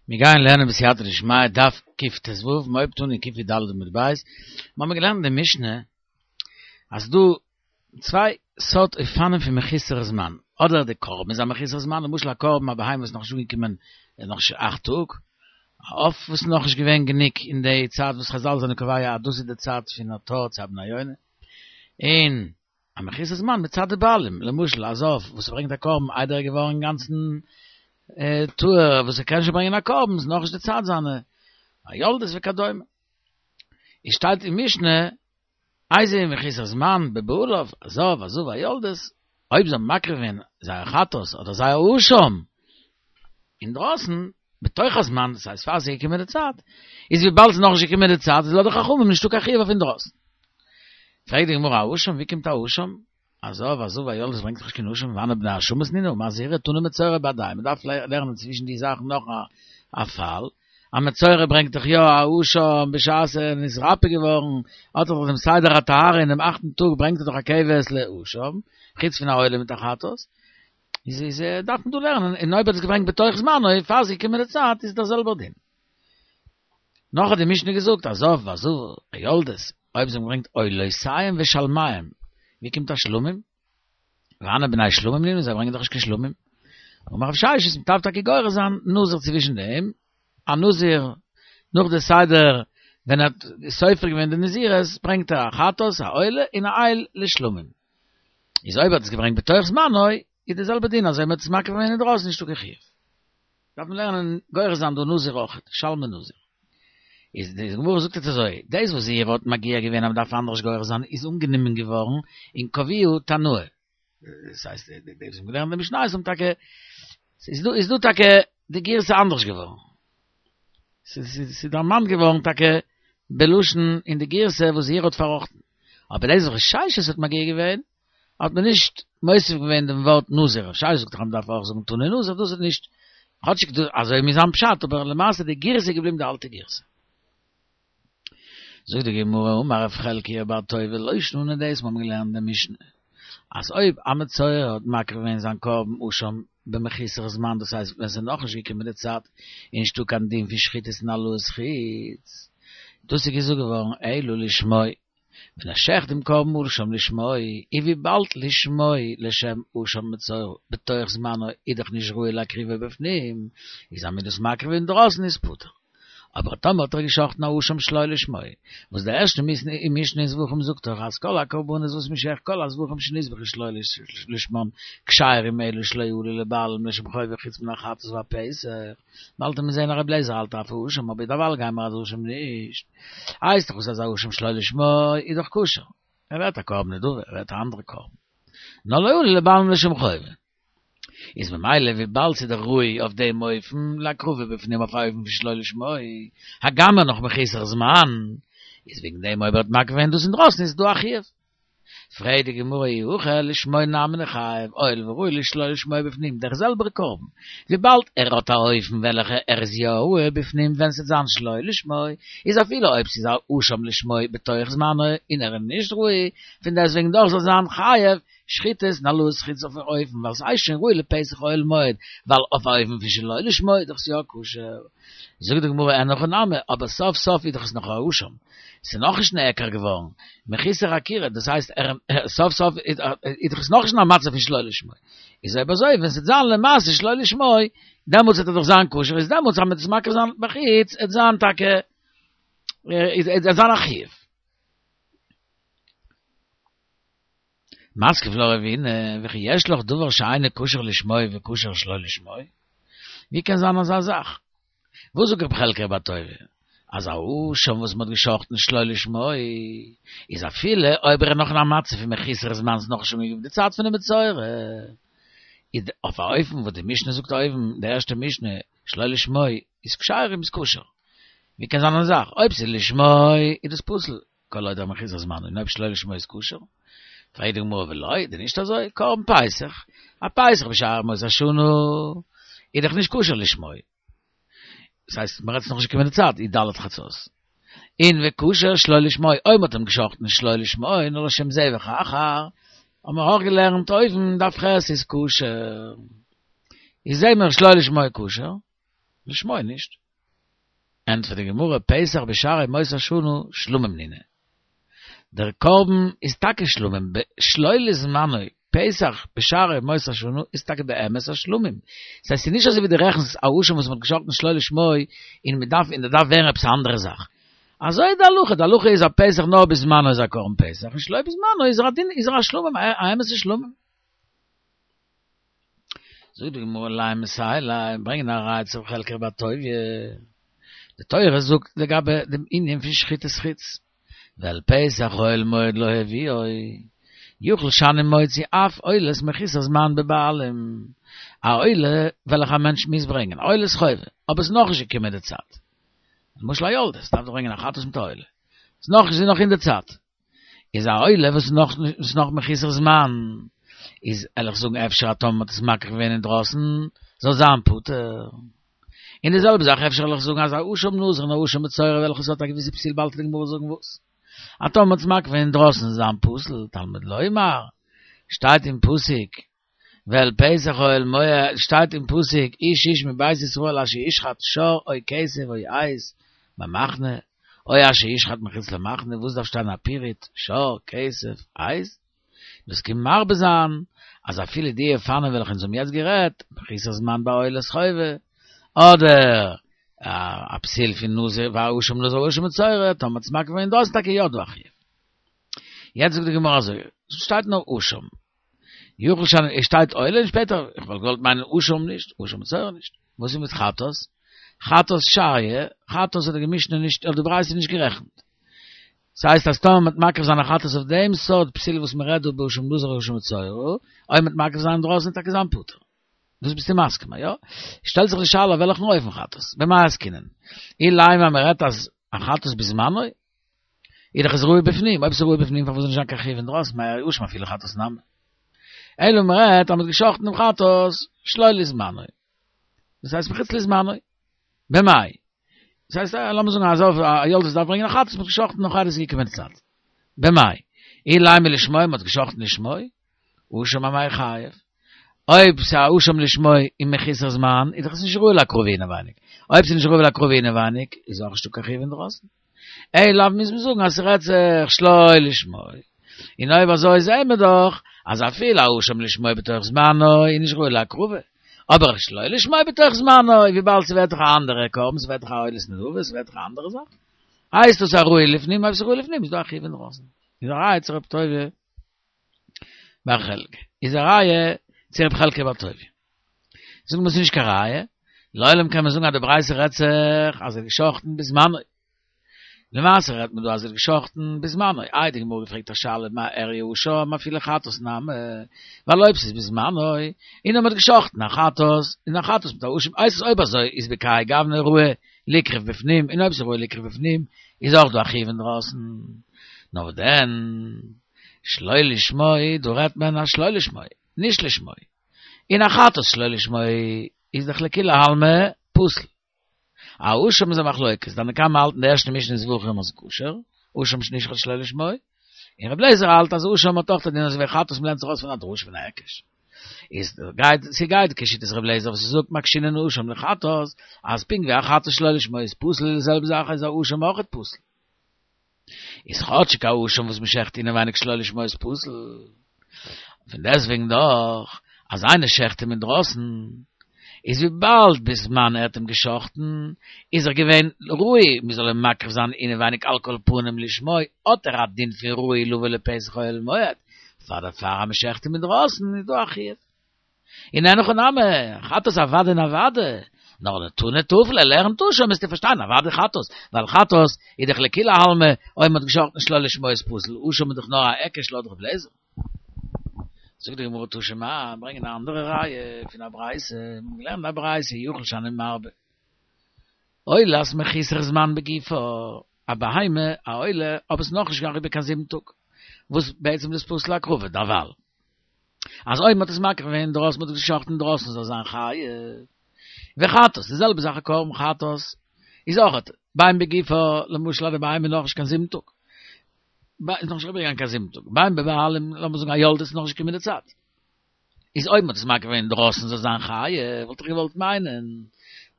מיר גייען לערנען בסייעתא דשמיא דף קט"ו, מ'הויבט אן אין קי"ד עמוד ב', מיר האבן געלערנט אין די משנה אז ס'דא צוויי סארט אופנים פון מחוסר זמן, אדער די קרבן איז א מחוסר זמן, למשל א קרבן א בהמה וואס איז נאכנישט אנגעקומען נאכנישט אכט טאג, א עוף וואס איז נאכנישט געווען גענוג אין די צייט וואס חזל זענען קובע אז דאס איז די צייט פון א תור צו א בני יונה, און א מחוסר זמן מצד די בעלים, למשל א זב וואס ברענגט א קרבן איידער ער איז געווארן אינגאנצן טהור וואס ער קען שוין ברענגען א קרבן, איז נאכנישט די צייט זיינע, א יולדת וכדומה. עס שטייט אין משנה, איזהו מחוסר זמן בבעליו, הזב, הזבה, היולדת, אויב זיי האבן מקריב געווען זייער חטאת אדער זייער אשם אינדרויסן, בתוך הזמן, דאס הייסט פאר ס'איז געקומען די צייט, איז וויבאלד ס'איז נאכנישט געקומען די צייט איז לויט די חכמים נישטא קיין חיוב אויף אינדרויסן. פרעגט די גמרא אשם, ווי קומט א אשם? הזב, הזבה, היולדת ברענגט דאך נישט קיין אשם, והני בני אשמות נינהו, אמר זעירי תנא מצורע בהדייהו, מ'דארף לערנען צווישן די זאכן נאך א פאל, א מצורע ברענגט דאך יא א אשם בשעת ער איז נתרפא געווארן, האט ער דאך דעם סדר הטהרה אינעם אכטן טאג ברענגט ער דאך א כבש לאשם, חוץ פון א עולה מיט א חטאת, איז איז דארף מען דא לערנען, און אויב ער האט עס געברענגט בתוך זמנו, פאר ס'איז געקומען די צייט, איז דער זעלבער דין. נאך האט די משנה געזאגט, הזב והזבה, היולדת, אויב זיי האבן געברענגט עולותיהם ושלמיהם, ווי קומט א שלמים? והני בני שלמים נינהו, זיי ברענגען דאך נישט קיין שלמים. אמר רב ששת, מ'דארף טאקע גורס זיין נזיר צווישן דעם, א נזיר נאך די סדר ווען ער האט סופר געווען די נזירות, ברענגט ער א חטאת, א עולה, און א איל לשלמים. איז אויב ער האט עס געברענגט בתוך זמנו, איז די זעלבע דין אז אויב מ'האט עס מקריב געווען אינדרויסן נישטא קיין חיוב. דארף מען לערנען גורס זיין דא נזיר אויכעט, שלמי נזיר. איז די גמרא זאגט יעצט אזוי, דאס וואס זעירי האט מגיה געווען אז מ'דארף אנדערש גורס זיין איז אנגענומען געווארן און קבעוה תנאי. דאס הייסט די וואס האבן געלערנט די משניות האבן טאקע, ס'איז דא איז דא טאקע די גירסא אנדערש געווארן. ס'איז דערמאנט געווארן טאקע בלשון אין די גירסא וואס זעירי האט פארראכטן. אבער דאס וואס רב ששת האט מגיה געווען האט מען נישט מוסיף געווען דעם ווארט נזיר, רב ששת זאגט דאך אז מ'דארף אויך זאגן תנא נזיר, דאס איז נישט, כאטשיג דאס אזוי מוז זיין פשט, אבער למעשה די גירסא איז געבליבן די אלטע גירסא. זאגט די גמרא, אמר רב חלקיה בר טובי לא שנו דאס מיר האבן געלערנט אין די משנה, אז אויב א מצורע האט מקריב געווען זיין קרבן אשם במחוסר זמן, דאס הייסט ווען ס'איז נאכנישט געקומען די צייט און נישטא קיין דין פון שחיטות און העלאת חוץ, דאס איז געזאגט געווארן אלא לשמו, ווען ער שעכט דעם קרבן אשם לשמו, און וויבאלד לשמו לשם אשם מצורע בתוך זמנו איז דאך נישט ראוי להקריבו בפנים, איז אז מ'איז דאס מקריב אינדרויסן איז פטור. אבער טאמער האט ער געשאכטן א אשם שלא לשמו, וואס די ערשטע משנה אין זבחים זאגט דאך אז כל הקרבנות וואס מ'שעכט כל הזבחים שנזבחו שלא לשמן כשרים אלא שלא עלו לבעלים לשם חובה חוץ מן החטאת והפסח, באלד וועט מען זעהן אז רבי אליעזר האלט אף אשם אבער דערווייל גייען מיר אז אשם נישט. הייסט דאך וואס אז א אשם שלא לשמו איז דאך כשר. ער ווערט א קרבן נדבה, ער ווערט א אנדערע קרבן. נאר לא עלו לבעלים לשם חובה. איז ממילא וויבאלד ס'איז דאך ראוי אויף דעם אופן להקרבה בפנים אויף א אופן פון שלא לשמו, הגם ער נאך מחוסר זמן, איז וועגן דעם אויב ער האט מקריב געווען דאס אינדרויסן איז דא א חיוב. פרעגט די גמרא אי הכי לשמו נמי ניחייב הואיל וראוי לשלא לשמו בפנים דער זעלבער קרבן וויבאלד ער האט א אופן וועלכע ער איז יא ראוי בפנים ווען ס'וועט זיין שלא לשמו איז אפילו אויב ס'איז א אשם לשמו בתוך זמנו און ער איז נישט ראוי פון דעסטוועגן דאך זאל זיין חייב שחיטות און העלאת חוץ אויפן אופן ווייל ס'איז שוין ראוי לפסח אוהל מועד ווייל אויף א אופן פון שלא לשמו איז דאך עס יא כשר. זאגט די גמרא אין הכי נמי, אבער סוף סוף איז דאך עס נאך א אשם, ס'איז נאכנישט נעקר געווארן, מחוסר עקירה, דאס הייסט ער סוף סוף איז דאך עס נאכנישט אין א מצב פון שלא לשמו, איז אויב אזוי ווען ס'וועט זיין למעשה שלא לשמו, דעמאלטס וועט ער דאך זיין כשר, איז דעמאלטס אז מ'וועט עס מקריב זיין בחוץ, עט זיין טאקע, עט זיין א חיוב. מתקיף לה רבינא, וכי יש לך דבר שאינו כשר לשמו וכשר שלא לשמו? ווי קען זיין אזא זאך? וואס זאגט רב חלקיה בר טובי? אז א אשם וואס מ'האט געשחט'ן שלא לשמו, איז אפילו אויב ער איז נאך אין א מצב פון מחוסר זמן ס'איז נאך נישט אנגעקומען די צייט פונעם מצורע, איז אויף א אופן וואס די משנה זאגט אויבן, די ערשטע משנה, שלא לשמו איז כשרים איז כשר. ווי קען זיין אזא זאך? אויב ס'איז לשמו איז דאס פסול. כל עוד מחוסר זמן און אויב שלא לשמו איז כשר, פרעגט די גמרא ולא, דען נישט אזוי, קרבן פסח, א פסח בשאר ימות השנה איז דאך נישט כשר לשמו, דאס הייסט מ'רעדט ס'נאך נישט געקומען די צייט י"ד חצות, און וכשר שלא לשמו, אויב מ'האט אים געשחט'ן שלא לשמו נאר לשם זבח אחר, האבן מיר אויך געלערנט אויבן דף ח' איז כשר, איז זעהן מיר שלא לשמו כשר. לשמו נישט. ענטפערט די גמרא, פסח בשאר ימות השנה שלמים נינהו. דער קרבן איז טאקע שלמים, שלא לזמנו, פסח בשאר ימות השנה איז טאקע באמת א שלמים. ס'הייסט ס'איז נישט אזוי ווי דו רעכנסט א אשם וואס מ'האט געשאכטן שלא לשמו און מ'דארף און דער דארף ווערן עפעס א אנדערע זאך. אזוי איז די הלכה, די הלכה איז א פסח נאר בזמנו איז א קרבן פסח און שלא בזמנו איז ער א דין איז ער א שלמים א אמת'ע שלמים. זאגט די גמרא לימא מסייע ליה, ברענגען א ראיה צו ר' חלקיה בר טוביה, די תורה זאגט לגבי דעם ענין פון שחיטת חוץ, ואל פתח אוהל מועד לא הביאו, יכול שאני מוציא אף עולת מחוסר זמן בבעלים, א עולה וועלכע א מענטש מוז ברענגען, א עולת חובה, אבער עס איז נאכנישט געקומען די צייט, למשל א יולדת דארף דאך ברענגען א חטאת מיט א עולה, עס איז נאך איז נאך אין די צייט, איז א עולה וואס איז נאך איז נאך מחוסר זמן, איז וועל איך זאגן אפשר אז טאמער מ'האט עס מקריב געווען אינדרויסן זאל זיין פטור. און די זעלבע זאך אפשר וועל איך זאגן אז א אשם נזיר און א אשם מצורע וועלכע ס'האט א געוויסע פסול באלד וועט די גמרא זאגן וואס. אז טאמער מ'האט עס מקריב געווען אינדרויסן זאל זיין פסול, תלמוד לומר, שטייט אין פסוק, ואל פתח אוהל מועד, שטייט אין פסוק, איש איש מבית ישראל אשר ישחט שור או כשב או עז במחנה, או אשר ישחט מחוץ למחנה, וואס דארף שטיין א פירוט, שור, כשב, עז? דאס קומט מרבה זיין, אז אפילו די אופנים וועלכע אונז האבן יעצט גערעדט, מחוסר זמן ביי עולת חובה, אדער א פסול פון נזיר ואשם נזיר ואשם מצורע, טאמער מ'האט עס מקריב געווען דאס איז טאקע יא דא א חיוב. יעצט זאגט די גמרא אזוי, שטייט נאר אשם, יכול שאני, עס שטייט עולה און שפעטער, איך וואלט געוואלט מיינען אשם נישט, אשם מצורע נישט. וואס איז מיט חטאת? חטאת שריא, חטאת האט די משנה נישט, האט די ברייתא נישט גערעכנט. ס'הייסט אז טאמער מ'וועט מקריב זיין א חטאת אויף דעם סארט פסול וואס מ'רעדט דא באשם נזיר אשם מצורע, אויב מ'וועט מקריב זיין אינדרויסן וועט טאקע זיין פטור. דאס ביסטו מסכים, יא? שטעלט זיך די שאלה אויף וועלכן אופן חטאת, במאי עסקינן? אילימא מ'רעדט אז א חטאת בזמנו? איז דאך עס ראוי בפנים, אויב ס'איז ראוי בפנים פארוואס זאל נישט זיין קיין חיוב אינדרויסן, מאי אשם אפילו חטאת נמי. אלא מ'רעדט אז מ'האט גע'שחט'ן דעם חטאת שלא לזמנו. דאס הייסט מחוץ לזמנו. במאי? דאס הייסט לאמיר זאגן אז א יולדת דארף ברענגען א חטאת מ'האט גע'שחט'ן נאך איידער ס'איז געקומען די צייט. במאי? אילימא לשמו מ'האט גע'שחט'ן לשמו? אשם אמאי חייב. אויב ס'איז א אשם לשמו און מחוסר זמן, איז דאך עס נישט ראוי להקרבה אינעווייניג. אויב ס'איז נישט ראוי להקרבה אינעווייניג, איז אויך נישטא קיין חיוב אינדרויסן. אלא לאו מוז מען זאגן אז ס'רעדט זיך שלא לשמו. און אויב אזוי זעהן מיר דאך אז אפילו א אשם לשמו בתוך זמנו איז נישט ראוי להקרבה. אבער שלא לשמו בתוך זמנו, וויבאלד ס'ווערט דאך א אנדערע קרבן, ס'ווערט דאך א עולת נדבה, ס'ווערט דאך א אנדערע זאך, הייסט דאס א ראוי לפנים, אויב ס'איז ראוי לפנים איז דא א חיוב אינדרויסן. איז א ראיה צו רב טוביה בר חלקה. איז א ראיה צו רב חלקיה בר טוביה. זאגן מיר ס'איז נישט קיין ראיה, לעולם קען מען זאגן אז די ברייתא רעדט זיך אז ער האט געשחט'ן בזמנו. למעשה רעדט מען דא אז ער האט געשחט'ן בזמנו. איי די גמרא געפרעגט א שאלה מאי איריא אשם אפילו חטאת נמי, ווייל אויב ס'איז בזמנו, און אויב מ'האט געשחט'ן א חטאת, און א חטאת מיט א אשם, הייסט עס אויב אזוי איז בכהאי גוונא ראוי ליקרב בפנים, און אויב ס'איז ראוי ליקרב בפנים, איז אויך דא א חיוב אינדרויסן. נאר וואס דען? שלא לשמו, דא רעדט מען א שלא לשמו, נישט לשמו. און א חטאת שלא לשמו איז דאך לכולי עלמא פסול. א אשם איז א מחלוקת, תנא קמא האלט אין די ערשטע משנה אין זבחים אז כשר, אשם שנשחט שלא לשמו, און רבי אליעזר האלט אז אשם האט אויך א דין אזוי ווי חטאת מ'לערנט זיך אויס פון א דרשה פון א היקש. איז גייט ס'גייט כשיטת רבי אליעזר וואס זאגט מקשינן אשם לחטאת, אז פונקט ווי א חטאת שלא לשמו איז פסול די זעלבע זאך איז א אשם אויכעט פסול. איז כאטשיג א אשם וואס מ'שעכט אינעווייניג שלא לשמו איז פסול. פון דעסטוועגן דאך, אז איינער שעכט אים אינדרויסן, איז וויבאלד בזמן ער האט אים געשאכטן, איז ער געווען ראוי מ'זאל אים מקריב זיין אינעווייניג על כל פנים לשמו, האט ער א דין פון ראוי לבוא לפתח אוהל מועד, פאר דערפאר אז מ'שעכט אים אינדרויסן איז דא א חיוב. און אין הכי נמי, חטאת אוודאי און אוודאי, נאר תני טפל ער לערנט אשם מוזטו פארשטיין אוודאי חטאת, ווייל חטאת איז דאך לכולי עלמא, אויב מ'האט געשאכטן שלא לשמו איז פסול, אשם איז דאך נאר א היקש לויט ר' אליעזר. זאגט די גמרא תא שמע, ברענגען א אנדערע ראיה פון א ברייתא, מ'האט געלערנט א ברייתא יכול שאני מרבה עולת מחוסר זמן בגופה, א בהמה א עולה אבער ס'איז נאכנישט אריבער קיין זיבן טאג, וואס בעצם איז פסול להקרבה דערווייל. אז אויב מ'האט עס מקריב געווען אינדרויסן, מ'האט עס געשחט'ן אינדרויסן זאל זיין חייב. וחטאת, די זעלבע זאך א קרבן חטאת איז אויך בין בגופה, למשל אז די בהמה איז נאכנישט קיין זיבן טאג, איז נאכנישט אריבערגעגאנגען קיין זיבן טאג, בין בבעלים, לאמיר זאגן א יולדת איז נאכנישט געקומען די צייט. איז אויב מ'האט עס מקריב געווען אינדרויסן זאל זיין חייב, וואלט איך געוואלט מיינען.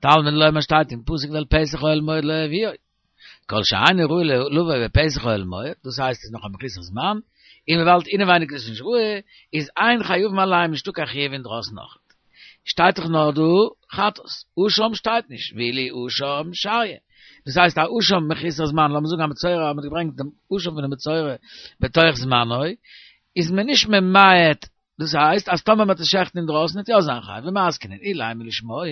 תלמוד לומר שטייט אין פסוק ואל פתח אוהל מועד לא יביאו. כל שאינו ראוי לבוא בפתח אוהל מועד, דאס הייסט איז נאך א מחוסר זמן, און וויבאלד אינעווייניג איז עס נישט ראוי, איז אין חייבין עליהם נישטא קיין חיוב אינדרויסן אויכעט. שטייט דאך נאר דא חטאת, אשם שטייט נישט, ואילו אשם שריא. דאס הייסט א אשם מחוסר זמן, לאמיר זאגן א מצורע האט מען געברענגט דעם אשם פונעם מצורע בתוך זמנו, איז מען נישט ממעט דאס הייסט אז טאמער מ'וועט עס שעכטן אינדרויסן וועט יא זיין חייב ומתקינים אילימא לשמו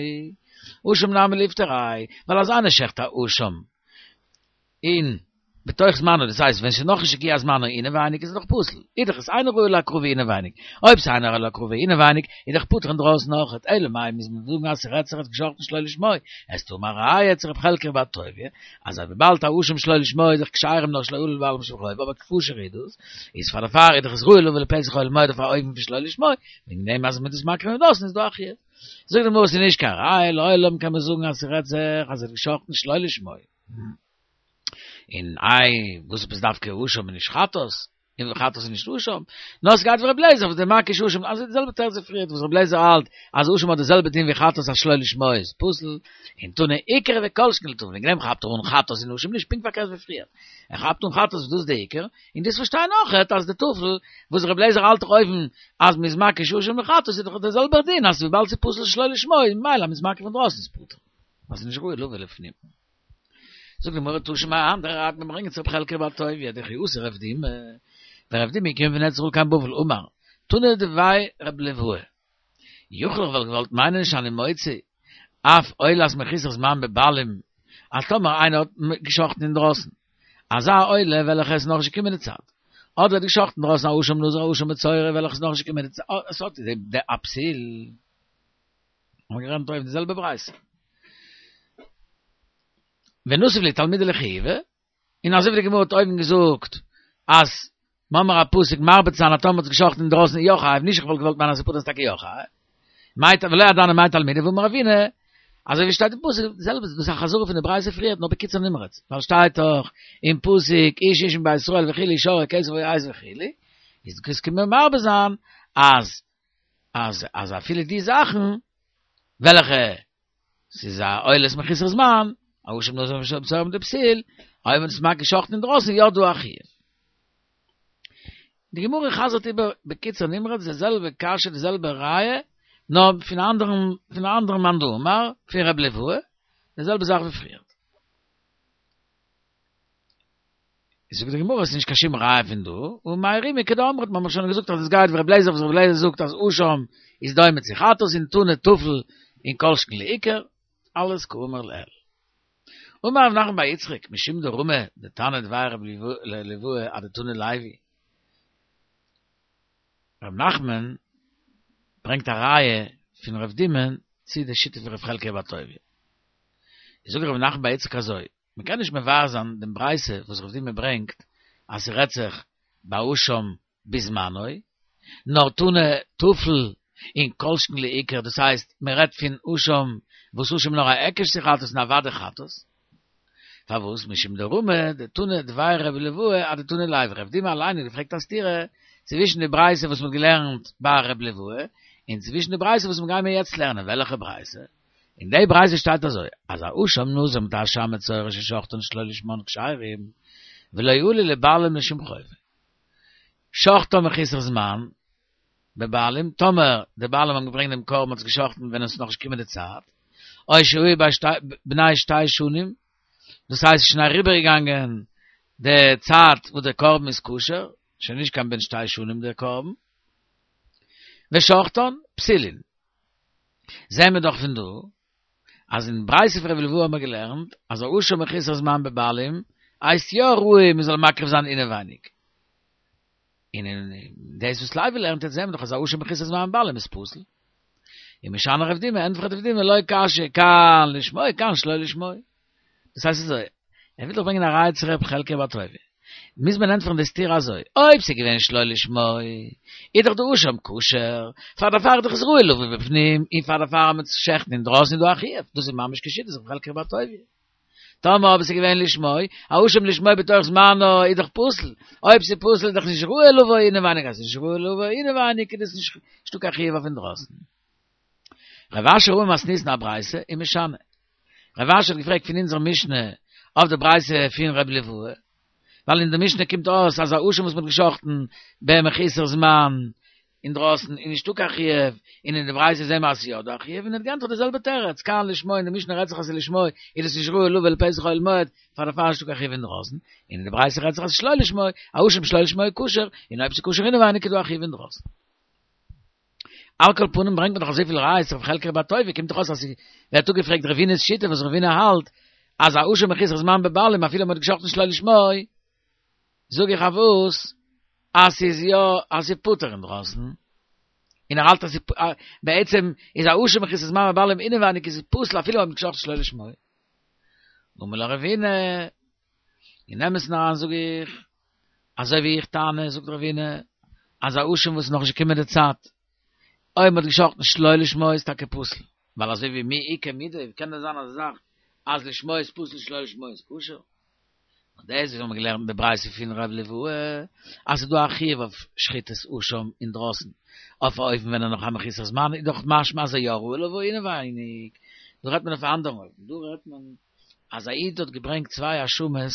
אשם נמי ליפטריה ווייל אז איינער שעכט א אשם אין בתוך זמנו דאס הייסט ווען ס'איז נאכנישט הגיע זמנו אינעווייניג איז עס דאך פסול איז דאך עס אינו ראוי להקרבה אינעווייניג אויב ס'איז אינו ראוי להקרבה אינעווייניג איז דאך פטור אינדרויסן אויכעט אלא מאי מוז מען זאגן אז ס'רעדט זיך ער האט געשאכטן שלא לשמו וועסטו האבן א ראיה צו רב חלקיה בר טוביה אז וויבאלד א אשם שלא לשמו איז דאך כשרים נאר שלא עלו לבעלים לשם חובה אבער כשר איז דאס איז פאר דערפאר איז דאך עס ראוי לבוא לפתח אוהל מועד אויף א אופן פון שלא לשמו וועגן דעם אז מ'איז דאס מקריב אינדרויסן איז דא א חיוב זאגט די גמרא ס'איז נישט קיין ראיה לעולם קען מען זאגן אז ס'רעדט זיך אז ער האט געשאכטן שלא לשמו און איי וואס עפעס דווקא אשם און נישט חטאת און חטאת איז נישט אשם, נאר ס'גייט ווי רבי אליעזר וואס דמקיש אשם, אזוי די זעלבע תירוץ ווי פריערט וואס רבי אליעזר האלט אז אשם האט די זעלבע דין ווי חטאת אז שלא לשמו איז פסול, און תנא עיקר וכל שכן לטפל, וועגן דעם כאפט ער אן חטאת און אשם נישט, פונקט פארקערט ווי פריערט, ער כאפט אן חטאת וואס דאס איז די עיקר, און דאס פארשטיין אויכעט אז די טפל וואס רבי אליעזר האלט דאך אויבן אז מ'איז מקיש אשם און חטאת איז דאך דער זעלבער דין אז וויבאלד ס'איז פסול שלא לשמו איז ממילא אז מ'איז מקריב אינדרויסן איז פטור, ווייל ס'איז נישט ראוי לבוא לפנים. זאגט די גמרא תא שמע א אנדערע ראיה מיר ברענגען צו רב חלקיה בר טוביה דכי אתא רב דימי ווען רב דימי איז געקומען פון ארץ ישראל קיין בבל אמר תנא דבי רב ליואי יכול איך וואלט געוואלט מיינען שאני מוציא אף עולת מחוסר זמן בבעלים אז טאמער איינער האט געשאכטן אינדרויסן אזא עולה וועלכע איז נאכנישט געקומען די צייט אדער האט געשאכטן דרויסן א אשם נזיר א אשם מצורע וועלכע איז נאכנישט געקומען די צייט עס האט די א פסיל. האבן געלערנט אויבן די זעלבע ברייתא. ונסיב להו תלמידי לחיובא, און אזוי ווי די גמרא האט אויבן געזאגט אז מ'האמער א פסוק מרבה צו זיין אז טאמער מ'האט עס געשאכטן אינדרויסן איז יא חייב, נישט איך וואלט געוואלט מיינען אז ס'פטור איז טאקע יא חייב. מאי ולא ידענא מאי תלמידי והאמר רבינא, אזוי ווי שטייט אין פסוק, די זעלבע, דאס איז א חזרה פון די ברייתא פריערט נאר בקיצור נמרץ, ווייל שטייט דאך אין פסוק איש איש מבית ישראל וכו' שור או כשב או עז וכו', איז דאס קומט מיר מרבה זיין אז אז אז אפילו די זאכן וועלכע ס'איז א עולת מחוסר זמן, א אשם נזיר אשם מצורע מיט די פסיל, אויב מען איז מקיש שחט'ן אינדרויסן יא דא א חיוב. די גמרא חזר'ט איבער בקיצור נמרץ די זעלבע קשיא די זעלבע ראיה, נאר פון א אנדערן פון א אנדערן מאן דאמר, פון ר' ליואי, די זעלבע זאך ווי פריערט. זאגט די גמרא עס איז נישט קיין שום ראיה פון דא, ומאי רימא כדאמרת מ'האט שוין געזאגט אז עס גייט ווי ר' לעזער וואס ר' לעזער זאגט אז אשם איז דומה צו חטאת און תנא טפל און כל שכן לעיקר, אלעס כאמור לעיל. אמר רב נחמן בר יצחק משום דרמי דתנא דבי ר' ליואי אדתנא לוי. רב נחמן ברענגט א ראיה פון רב דימא'ן צו די שיטה פון רב חלקיה בר טוביה. זאגט רב נחמן בר יצחק אזוי, מען קען נישט מבאר זיין דעם ברייתא וואס רב דימי ברענגט אז ס'רעדט זיך באשם בזמנו, נאר תנא טפל און כל שכן לעיקר, דאס הייסט מען רעדט פון אשם וואס אשם נאר א היקש צו חטאת און אוודאי חטאת. פארוואס משום דרמי דתנא דבי רבי ליואי אדתנא לוי רב דימי אליין האט געפרעגט א סתירה צווישן די ברייתא וואס מ'האט געלערנט ביי רבי ליואי און צווישן די ברייתא וואס מ'גיימיר יעצט לערנען, וועלכע ברייתא? אין די ברייתא שטייט אזוי, אז א אשם נזיר מיט א אשם מצורע ששחטן שלא לשמן כשרים, ולא עלו לבעלים לשום חובה. שחטן מחוסר זמן, בבעלים, טאמער די בעלים האבן געברענגט דעם קרבן האט עס געשחטן ווען עס איז נאכנישט געקומען די צייט, או שהיו בני שתי שנים, דאס הייסט עס איז שוין אריבערגעגאנגען די צייט וואס דער קרבן איז כשר, שוין נישט קיין בן שתי שנים דער קרבן, ושחטן פסולין. זעהן מיר דאך פון דא אז אין ברייתא פון רבי ליואי האבן מיר געלערנט אז א אשם מחוסר זמן בבעלים הייסט יא ראוי מען זאל מקריב זיין אינעווייניג. און אין דאס וואס לוי לערנט יעצט זעהן מיר דאך אז א אשם מחוסר זמן בבעלים איז פסול. ומשני רב דימי ענטפערט רב דימי לא קשיא כאן לשמו כאן שלא לשמו. דאס הייסט אזוי, ער וויל דאך ברענגען א ראיה צו ר' חלקיה בר טוביה. מוז מען ענטפערן די סתירה אזוי, אויב ס'איז געווען שלא לשמו, איז דאך די אשם כשר, פאר דערפאר איז דאך עס ראוי לבוא בפנים, און פאר דערפאר אז מ'וועט שעכטן אינדרויסן איז דא א חיוב, דאס איז ממש כשיטת ר' חלקיה בר טוביה. טאמער אבער ס'איז געווען לשמו, א אשם לשמו בתוך זמנו איז דאך פסול, אויב ס'איז פסול איז דאך נישט ראוי לבוא אינעווייניג, אז ס'איז נישט ראוי לבוא אינעווייניג איז דאס נישטא קיין חיוב אויף אינדרויסן. רב אשי רמי מתניתין א ברייתא ומשני. רב אשי האט געפרעגט פון אונזער משנה אויף די ברייתא פון ר' ליוואי, ווייל אין די משנה קומט אויס אז א אשם וואס מ'האט געשחט'ן במחוסר זמן אינדרויסן איז נישטא קיין חיוב, און אין די ברייתא זעהן מיר אז ס'איז יא דא א חיוב, און ער האט געענטפערט די זעלבע תירוץ, כאן לשמו אין די משנה רעדט זיך אז ס'איז לשמו איז עס נישט ראוי לבא אל פתח אוהל מועד, פאר דערפאר נישטא קיין חיוב אינדרויסן, און אין די ברייתא רעדט זיך אז ס'איז שלא לשמו, א אשם שלא לשמו איז כשר, און אויב ס'איז כשר אינעווייניג איז דא א חיוב אינדרויסן. על כל פנים ברענגט מען דאך אזויפיל ראיות אויף חלקיה רבי טובה, קומט דאך אויס אז ס'ווערט אפגעפרעגט רבינא'ס שיטה וואס רבינא האלט אז א אשם מחוסר זמן בבעלים אפילו מ'האט געשחט'ן שלא לשמו, זאג איך אויף וואס אז ס'איז יא אז ס'איז פטור אינדרויסן, און ער האלט אז בעצם איז א אשם מחוסר זמן בבעלים אינעווייניג איז עס פסול אפילו מ'האט געשחט'ן שלא לשמו. אמר לך רבינא, אין אמת'ן אריין זאג איך, אזוי ווי איך טענה, זאגט רבינא, אז א אשם וואס איז נאכנישט געקומען די צייט, אויב מ'האט געשחט'ן שלא לשמו איז טאקע פסול, ווייל אזוי ווי מי איכא מידי, ווי קען דען זיין אזא זאך אז לשמו איז פסול שלא לשמו איז כשר? און דאס וואס מיר האבן געלערנט אין די ברייתא פון ר' ליוואי, אז ס'איז דא א חיוב אויף שחיטת אשם אינדרויסן, אויף א אופן ווען ער נאך א מחוסר זמן, איז דאך משמע אז ער יא ראוי לבוא אינעווייניג. דא רעדט מען אויף א אנדערן אופן, דא רעדט מען אז א איד האט געברענגט צוויי אשמות,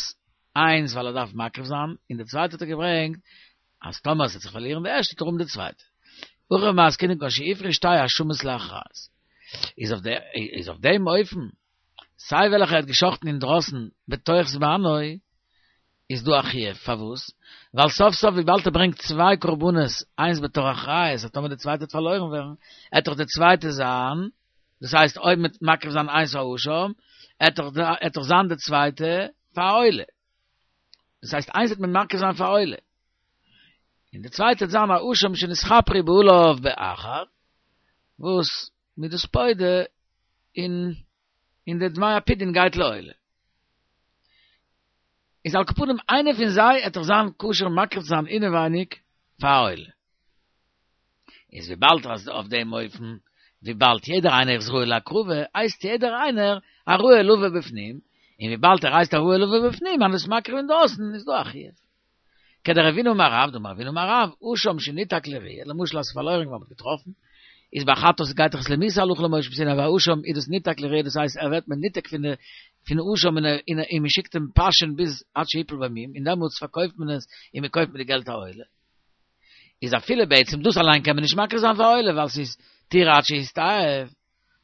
איינס ווייל ער דארף מקריב זיין, און די צווייטע האט ער געברענגט אז טאמער עס וועט זיך פארלירן די ערשטע וועט ער האבן די צווייטע. הכא במאי עסקינן כגון שהפריש שתי אשמות לאחריות. איז אויף איז אויף דעם אופן, סיי וועלכע ער האט געשחטן אינדרויסן בתוך זמנו, איז דא א חיוב, פארוואס? ווייל סוף סוף וויבאלד ער ברענגט צוויי קרבנות, איינס בתור אחריות, אז טאמער די צווייטע וועט פארלוירן ווערן, עט דאך די צווייטע זיין, דאס הייסט אויב מ'וועט מקריב זיין איינס פאר אשם, עט דאך זיין די צווייטע פאר עולה. דאס הייסט איינס וועט מען מקריב זיין פאר עולה. און די צווייטע וועט זיין א אשם שנתכפרו בעליו באחר, וואס מ'איז דאס פודה און און די דמי הפדיון גייט לעולה. איז על כל פנים איינער פון זיי עט דאך זיין כשר מקריב צו זיין אינעווייניג פאר עולה. איז וויבאלד אז אויף דעם אופן, וויבאלד יעדער איינער איז ראוי להקרבה, הייסט יעדער איינער א ראוי לבא בפנים, און וויבאלד ער הייסט א ראוי לבא בפנים, אז מ'איז מקריב אינדרויסן, איז דא א חיוב. כדרבינא אמר רב, דאמר רבינא אמר רב, אשם שניתק לראיה, למשל אז ס'איז פארלוירן געווארן מ'האט געטראפן, איז ביי חטאת גייט דאך עס למיתה הלכה למשה מסיני, ביי אשם איז דאס ניתק לראיה דאס הייסט ער ווערט מנותק פון די פון אשם און און און מ'שיקט אים פאשען ביז עד שיפול בו מום און דעמאלטס פארקויפט מען עס און מ'קויפט מיט די געלט א עולה. איז אפילו בעצם דאס אליין קען מען נישט מקריב זיין פאר עולה ווייל ס'איז תרעה עד שיסתאב,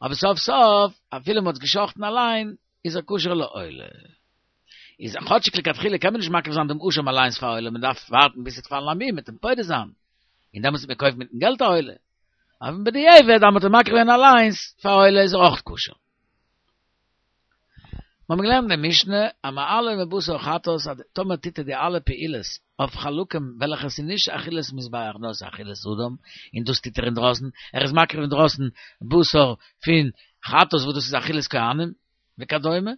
אבער סוף סוף אפילו מ'האט עס גע'שחט'ן אליין איז ער כשר לעולה. איז כאטשיג לכתחילה קען מען נישט מקריב זיין דעם אשם אליינס פאר עולה, מען דארף ווארטן ביז ס'וועט פאלן א מום מ'עט אים פודה זיין, און דעמאלטס וועט מען קויפן מיטן געלט א עולה. אבער בדיעבד אז מ'האט אים מקריב געווען אליינס פאר עולה איז ער אויך כשר. מיר האבן געלערנט אין די משנה המעלה מבשר חטאת אז טאמער טוט ער די אלע פעולות אויף חלקים וועלכע ס'איז נישט אכילת מזבח נאר ס'איז אכילת אדם, און דאס טוט ער אינדרויסן, ער איז מקריב אינדרויסן בשר פון חטאת וואס דאס איז אכילת כהנים וכדומה,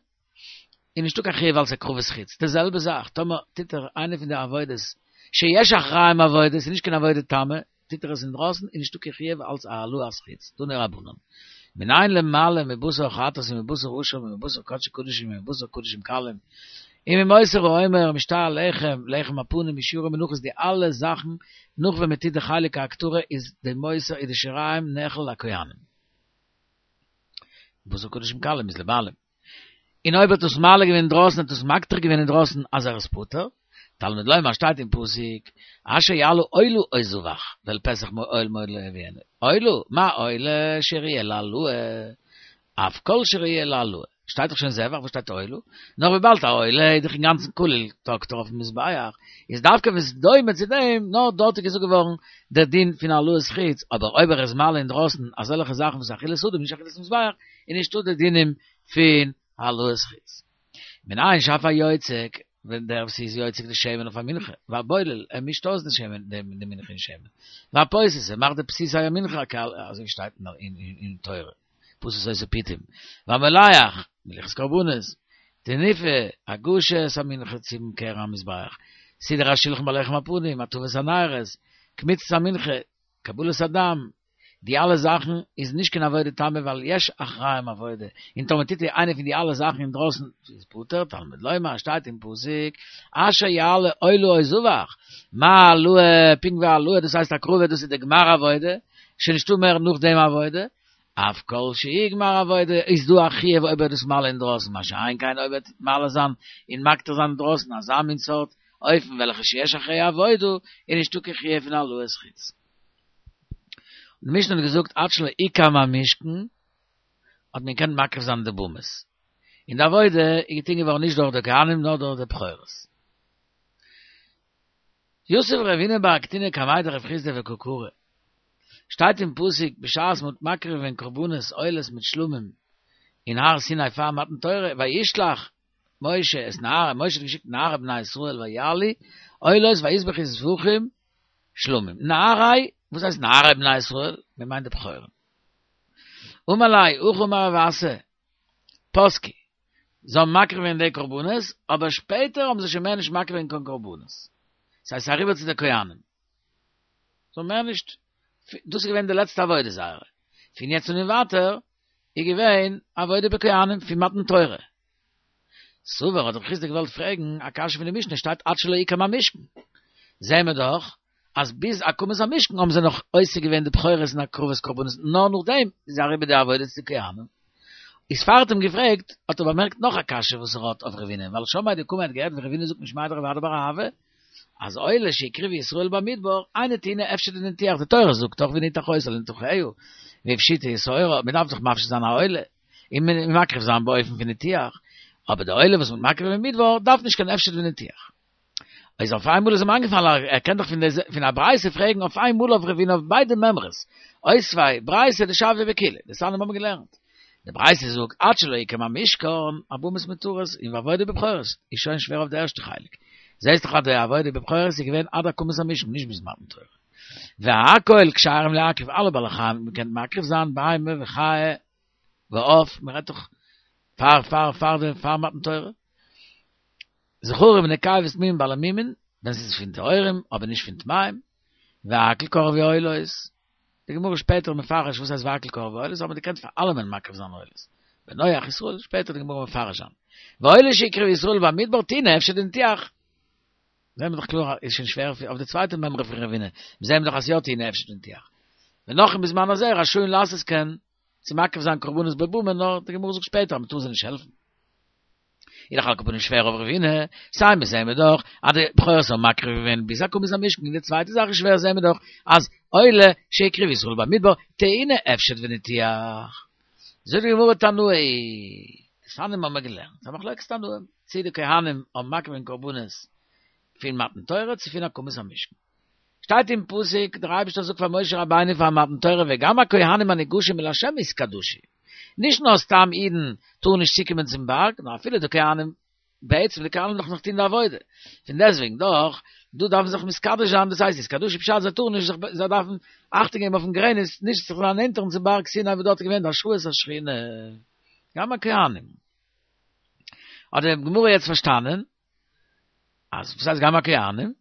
איז נישטא קיין חיוב אלס הקרבת חוץ, די זעלבע זאך טאמער טוט ער איינע פון די עבודות שיש אחריהם עבודה, ס'איז נישט קיין עבודה תמה, טוט ער עס אינדרויסן איז נישטא קיין חיוב אלס העלאת חוץ, תנו רבנן. מנין למעלה מבשר חטאת ומבשר אשם ומבשר קדשי קדשים ומבשר קדשים קלים וממותר העומר ומשתי הלחם לחם הפנים ושיורי מנחות די אלע זאכן נאך ווען מ'טוט די חלק ההקטרה איז די מותר איז די שיריים נאכל לכהנים. בשר קדשים קלים איז לבעלים. און אויב האט עס מעלה געווען אינדרויסן האט עס מקטיר געווען אינדרויסן אז ער איז פטור, תלמוד לומר שטייט אין פסוק, אשר יעלה עולה או זבח, ואל פתח אוהל מועד לא יביאנו, עולה, מה עולה שראויה להעלאה, אף כל שראויה להעלאה, שטייט דאך שוין זבח וואס שטייט עולה? נאר וויבאלד א עולה איז דאך אינגאנצן כליל תקטר אויפן מזבח, איז דווקא ווען ס'איז דומה צו דעם, נאר דארט איז געזאגט געווארן דער דין פון העלאת חוץ, אבער אויב ער איז מעלה אינדרויסן אזעלכע זאכן וואס אכילת אדם נישט אכילת מזבח, איז נישטא די דינים פון העלאת חוץ. מנין שאף היוצק, ווען דער וואס איז יוצק די שמן אויף א מנחה, והבולל, ער מישט אויס די שמן, די מנחה אין שמן, והפוסס, ער מאכט די פסיסי המנחה, אזוי ווי שטייט אין תורה, פתת עושה פיתים, והמולח, מליחת קרבנות, תנופה, הגשת המנחה צום קרן המזבח, סידור השולחן ביי לחם הפנים, הטבת הנרות, קמיצת המנחה, קבלת הדם, די אלע זאכן איז נישט קיין עבודה תמה ווייל יש אחריהם עבודה, און טאמער טוט ער איינע פון די אלע זאכן אינדרויסן איז פטור, תלמוד לומר שטייט אין פסוק אשר יעלה עולה או זבח, מה העלאה, פונקט ווי העלאה דאס הייסט הקרבה דאס איז די גמר עבודה, שוין נישטא מער נאך דעם עבודה. אף כל שיגמר עבודה איז דא א חיוב אויב ער איז דאס מעלה אינדרויסן, מה שאין כן אויב ער טוט מעלה זיין און מקטיר זיין אינדרויסן אזא מין סארט אופן וועלכע שיש אחריה עבודה איז נישטא קיין חיוב פון העלאת חוץ. די משנה האט געזאגט עד שלא הוקם המשכן האט מען געקענט מקריב זיין די במות, און די עבודה איז געטון געווארן נישט דורך די כהנים נאר דורך די בכורות. יתיב רבינא בר קטינא קמיה דרב חסדא וקא קרי, שטייט אין פסוק בשעת מ'האט מקריב געווען קרבנות עולות מיט שלמים אין הר סיני פאר מתן תורה וישלח משה את נערי משה האט געשיקט נערי בני ישראל ויעלו עולות ויזבחו זבחים שלמים נערי וואס הייסט נערי בני ישראל? מען מיינט די בכורים אמר ליה הכי אמר רב אסי פסקו זיי האבן מקריב געווען די קרבנות אבער שפעטער האבן זיי שוין מער נישט מקריב געווען קיין קרבנות ס'הייסט ס'איז אריבער צו די כהנים. זיי האבן מער נישט, דאס איז געווען די לעצטע עבודה זייערע, פון יעצט און ווייטער איז געווען עבודה בכהנים פון מתן תורה. סבר האט רב חסדא געוואלט פרעגן א קשיא פון די משנה שטייט עד שלא הוקם המשכן, זעהן מיר דאך אז ביז הקמת המשכן האבן זיי נאך עוסק געווען די בכורות אין הקרבת קרבנות נאר נאכדעם איז אריבער די עבודה צו די כהנים. איז פאר ער האט אים געפרעגט האט ער באמערקט נאך א קשיא וואס ער האט אויף רבינא ווייל שמעיה דקאמר האט געהערט ווי רבינא זאגט משמיה דרב אדא בר אהבה אז עולה שהקריבו ישראל במדבר אינה טעונה הפשט וניתוח די תורה זאגט דאך ונתח אותה לנתחיה והפשיטו את עורה מען דארף דאך מפשיט זיין א עולה און מקריב זיין באופן פון ניתוח אבער די עולה וואס מ'האט מקריב במדבר דארף נישט קיין הפשט וניתוח. איז אויף איינמאל איז אים איינגעפאלן ער קען דאך פון די פון א ברייתא פרעגן אויף איינמאל אויף רבינא אויף ביידע מימרות אותביה ברייתא דשויא בכולה דתניא האבן מיר געלערנט די ברייתא זאגט עד שלא הוקם המשכן הבמות מותרות און ועבודה בבכורות איז שוין שווער אויף די ערשטע חלק זעהסט דאך אז די עבודה בבכורות איז געווען עד הקמת המשכן נישט ביז מתן תורה והכל כשרים להקריב אלע בעלי חיים האט מען געקענט מקריב זיין בהמה וחיה ועוף מען רעדט דאך פאר פאר פאר די פאר מתן תורה זכרים ונקבות תמימים בעלי מומין, ווען ס'איז פון טהורים אבער נישט פון טמאים, והכל קרבו עולות, די גמרא שפעטער מפרש וואס הייסט והכל קרבו עולות, האבן געקענט פאר אלעמען מקריב זיין עולות, בן נח ישראל, שפעטער די גמרא מפרש זיין, ועולה שהקריבו ישראל במדבר טעונה הפשט וניתוח, זעהן מיר דאך קלאר איז שוין שווער אויף די צווייטע מימרא פון רבינא, זעהן מיר דאך אז יא טעונה הפשט וניתוח, ונכרים בזמן הזה רשאין לעשות כן, צו מקריב זיין קרבנות בבמה, נאר די גמרא זאגט שפעטער אז מ'טאר זיי נישט העלפן. איז דאך על כל פנים שווער אויף רבינא, סיי מיר זעהן מיר דאך אז די בכורות האבן מקריב געווען ביז הקמת המשכן, און די צווייטע זאך איז שווער זעהן מיר דאך אז עולה שהקריבו ישראל במדבר טעונה הפשט וניתוח. זאגט די גמרא תנאי, דתניא האבן מיר געלערנט א מחלוקת תנאים, צי די כהנים האבן מקריב געווען קרבנות פון מתן תורה צו פון הקמת המשכן. שטייט אין פסוק, דער אייבערשטער זאגט פאר משה רבינו פאר מתן תורה וגם הכהנים הניגשים אל השם התקדשו, נישט נאר סתם אידן טארן נישט צוקומען צום בארג, נאר אפילו די כהנים, בעצם די כהנים דארפן נאך טון די עבודה, פון דעסטוועגן דאך, דא דארף מען זיך מתקדש זיין, דאס הייסט התקדשו פשט זיי טארן נישט זיך, זיי דארפן אכטונג געבן אויפן גרעניץ נישט זיך דערנענטערן צום בארג סיני וואס דארט איז געווען די השראת השכינה, גם הכהנים. האט די גמרא יעצט פארשטאנען אז וואס הייסט גם הכהנים?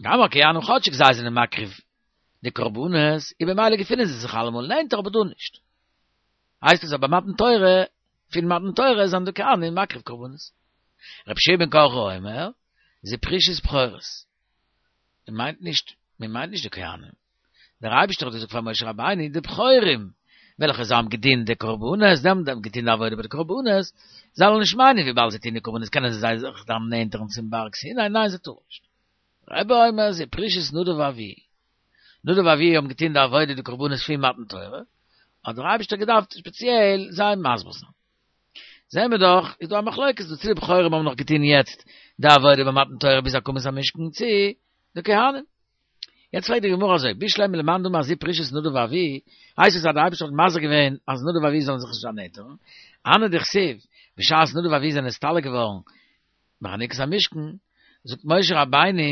גם הכהנים כאטשיג זיי זענען מקריב די קרבנות, איז במילא געפינען זיי זיך אלעמאל נענטער אבער דא נישט. הייסט עס אז ביי מתן תורה, פון מתן תורה זענען די כהנים מקריב קרבנות. רבי יהושע בן קרחה אומר, זו פרישת בכורות. מען מיינט נישט, מען מיינט נישט די כהנים. דער אייבערשטער האט געזאגט פאר משה רבינו, די בכורים וועלכע זיי האבן געדינט די קרבנות, זיי האבן געטון די עבודה ביי די קרבנות, זאלן נישט מיינען וויבאלד זיי טוען די קרבנות קענען זיי זיך דערנענטערן צום בארג סיני, ניין זיי טארן נישט. רבי אומר זו פרישת נדב ואביהוא, נדב ואביהוא האבן געטון די עבודה די קרבנות פון מתן תורה, האט דער אייבערשטער געדארפט ספעציעל זיי מסביר זיין. זעהן מיר דאך, איז דא א מחלוקת דא צו די בכורים האבן נאך געטון יעצט די עבודה ביי מתן תורה ביז הקמת המשכן צו די כהנים. יעצט פרעגט די גמרא אזוי, בשלמא למאן דאמר זו פרישת נדב ואביהוא, הייסט עס אז דער אייבערשטער האט מזהיר געווען אז נדב ואביהוא זאלן זיך נישט דערנענטערן, הני דכתיב, בשעת נדב ואביהוא זענען נסתלק געווארן בחנוכת המשכן, זאגט משה רבינו,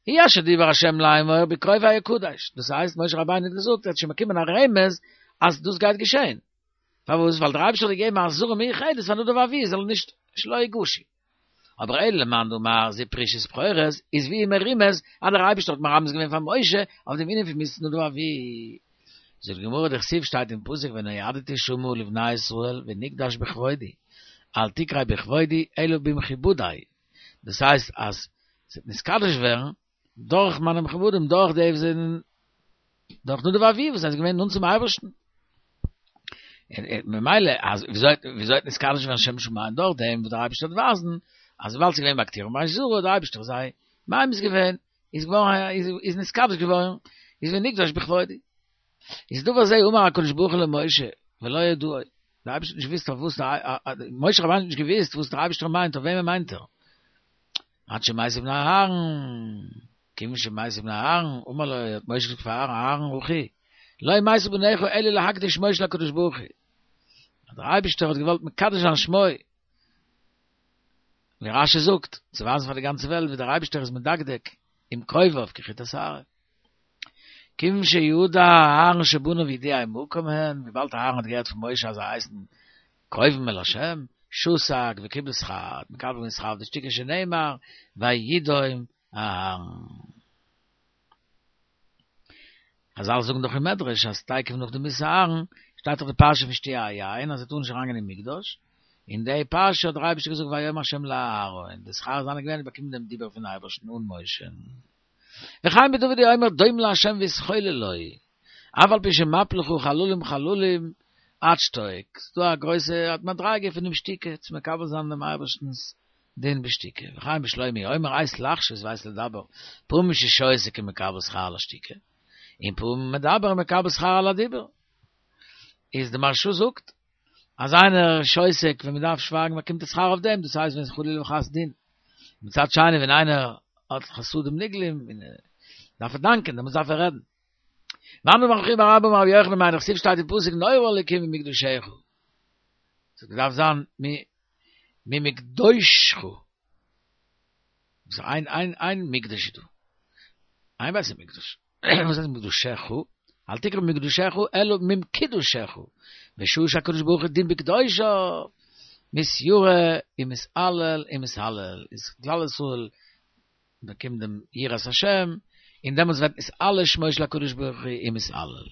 הוא אשר דיבר השם לאמור בקרובי אקדש, דאס הייסט משה רבינו האט געזאגט ער האט שוין באקומען א רמז אז דאס גייט געשען, פארוואס? ווייל דער אייבערשטער האט געגעבן א אזהרה מיוחדת פאר נדב ואביהוא זאלן נישט שלא יגשו. אבער אלא למאן דאמר זו פרישת בכורות איז ווי מרומז אז דער אייבערשטער האט מרמז געווען פאר משה אויף דעם ענין פון מיתת נדב ואביהוא. זאגט די גמרא דכתיב שטייט אין פסוק ונועדתי שמה לבני ישראל ונקדש בכבודי אל תקרי בכבודי אלא במכובדי דאס הייסט אז ס'וועט נתקדש ווערן דורך מיינע מכובדים דורך די וואס זענען דורך נדב ואביהוא וואס זענען געווען נאנט צום אייבערשטן. ממילא אז וויאזוי וויאזוי וועט נתקדש ווערן שם שמים דורך דעם וואס דער אייבערשטער וועט ווייזן אז וויבאלד ס'איז געווען בהקטירם באש זרה האט דער אייבערשטער זיי ממאס געווען איז געווארן איז נתקדש געווארן איז ונקדש בכבודי. איז דבר זה אמר הקדוש ברוך הוא למשה ולא ידעו, דער אייבערשטער האט נישט געוואוסט אויף וואס משה רבינו האט נישט געוואוסט וואס דער אייבערשטער מיינט אויף וועמען מיינט ער. עד שמתו בני אהרן, כיוון שמתו בני אהרן, אמר לו, האט משה געזאגט פאר אהרן, אהרן אחי, לא מתו בניך אלא להקדיש שמו של הקדוש ברוך הוא. אז דער אייבערשטער האט געוואלט מקדש זיין שמו, ווי רשי זאגט, צו ווייזן פאר די גאנצע וועלט ווי דער אייבערשטער איז מדקדק עם קרוביו כחוט השערה. כיוון שידע אהרן שבניו יודעי מקום הן, וויבאלד אהרן האט געהערט פון משה אז זיי הייסן קרובים אל השם, שתק וקיבל שכר, האט מקבל געווען שכר אויף די שתיקה שנאמר וידום אהרן. חזל זאגן דאך אין מדרש אז תיכף נאך די מיתת אהרן שטייט דאך די פרשה פון שתיית היין אז ער טאר נישט אריינגיין אין מקדש, אין די פרשה האט דער אייבערשטער געזאגט ויאמר ה' לאהרן, די שכר זיינע געווען באקומען דעם דיבור פון אייבערשטן אן משה'ן. וכן בדוד הוא אומר דום לה' והתחולל לו, אף על פי שמפיל לך חללים חללים עד שתוק, ס'דא א גרויסע מדריגה פונעם שתיקה צו מקבל זיין דעם אייבערשטנ'ס דין בשתיקה, וכן בשלמה הוא אומר עת לחשות ועת לדבר, פעמים ששותק ומקבל שכר על השתיקה, און פעמים מדבר ומקבל שכר על הדיבור. איז די מהרש"א זאגט אז איינער שותק ווען מ'דארף שווייגן באקומט ער שכר אויף דעם, דאס הייסט ווען ס'איז חלילה וחס דין. מצד שני ווען איינער האט חסדים נגלים און דארף ער דאנקען דעמאלטס דארף ער רעדן. ואנן אמר רב חייא בר אבא אמר רבי יוחנן היינו דכתיב שטייט אין פסוק נורא אלקים ממקדשך. ס'האט געדארפט זיין ממקדושך. ס'איז איין איין איין מקדש איז דא. איין בית המקדש. וואס הייסט מקדשך? אל תקרא מקדשך אלא ממקדשך. בשעה שהקדוש ברוך הוא דין בקדושיו, מתיירא ומתעלל ומתהלל. איז כלל ישראל באקומט דעם יראת השם, און דעמאלטס ווערט נתעלה שמו של הקדוש ברוך הוא ומתהלל.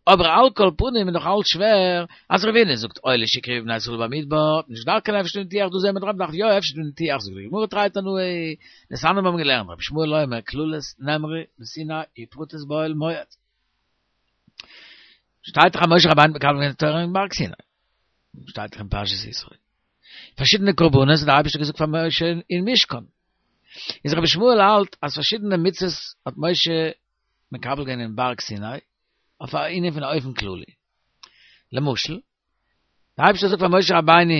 אבער על כל פנים איז נאך אלץ שווער, אז רבינא זאגט עולה שהקריבו בני ישראל במדבר, נישט דארף קיין אפשט וניתוח, דא זעהן מיר דאך מ'דארף יא אפשט וניתוח, זאגט די גמרא תרי תנאי, דתניא מיר האבן געלערנט רבי ישמעאל אומר כללות נאמרו בסיני ופרטות באוהל מועד. שטייט דאך אז משה רבינו האט מקבל געווען די תורה אין בארג סיני. שטייט דאך אין פרשת יתרו. פארשידענע קרבנות האט דער אייבערשטער געזאגט פאר משה אין משכן. איז רבי ישמעאל האלט אז פארשידענע מצוות האט משה מקבל געווען אין בארג סיני אויף א ענין פון א אופן כללי. למשל, דער אייבערשטער זאגט פאר משה רבינו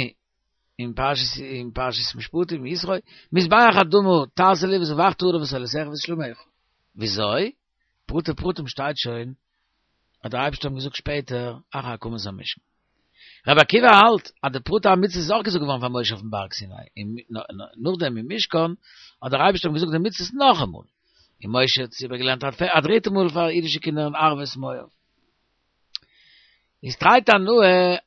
אין פרשת אין פרשת משפטים יתרו, מזבח אדמה תעשה לי וזבחת עליו את עולותיך ואת שלמיך. וויאזוי? פרטי פרטים שטייט שוין האט דער אייבערשטער אים געזאגט שפעטער אחר הקמת המשכן. רבי עקיבא האלט אז די פרטי המצוות איז אויך געזאגט געווארן פאר משה אויפן בארג סיני, און נאכדעם אין משכן האט דער אייבערשטער אים געזאגט די מצוות נאכאמאל, און משה האט עס איבערגעלערנט א דריטע מאל פאר אידישע קינדער אין ערבות מואב. איז תרי תנאי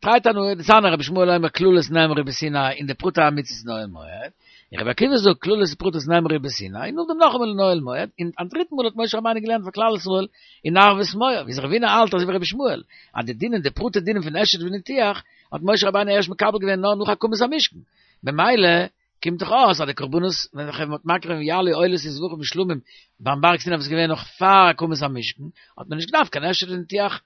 תרי תנאי, דתניא רבי ישמעאל אומר כללות נאמרו בסיני און די פרטי המצוות אין אוהל מועד, און רבי עקיבא זאגט כללות ופרטות נאמרו בסיני און נאכדעם נאכאמאל אין אוהל מועד, און א דריטן מאל האט משה רבינו געלערנט פאר כלל ישראל אין ערבות מואב, איז רבינא האלט אזוי ווי רבי ישמעאל, אז די דינים די פרטי דינים פון אפשט וניתוח האט משה רבינו ערשט מקבל געווען נאר נאך הקמת המשכן, במילא קומט דאך אויס אז די קרבנות וועלכע מען האט מקריב געווען יעלו עולות וזבחים ושלמים ביים בארג סיני וואס איז געווען נאך פאר הקמת המשכן, האט מען נישט געדארפט קיין אפשט וניתוח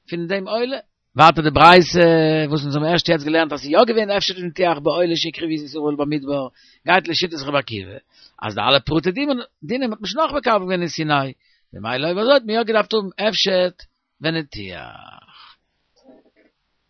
פון דעם עולה. ווייטער די ברייתא וואס אונז האבן ערשט יעצט געלערנט אז ס'איז יא געווען אפשט וניתוח בעולה שהקריבו ישראל במדבר, גייט לשיטת רבי עקיבא אז די אלע פרטי דינים האט מען שוין נאך מקבל געווען אין סיני, ממילא אויב אזוי האט מען יא געדארפט האבן אפשט וניתוח.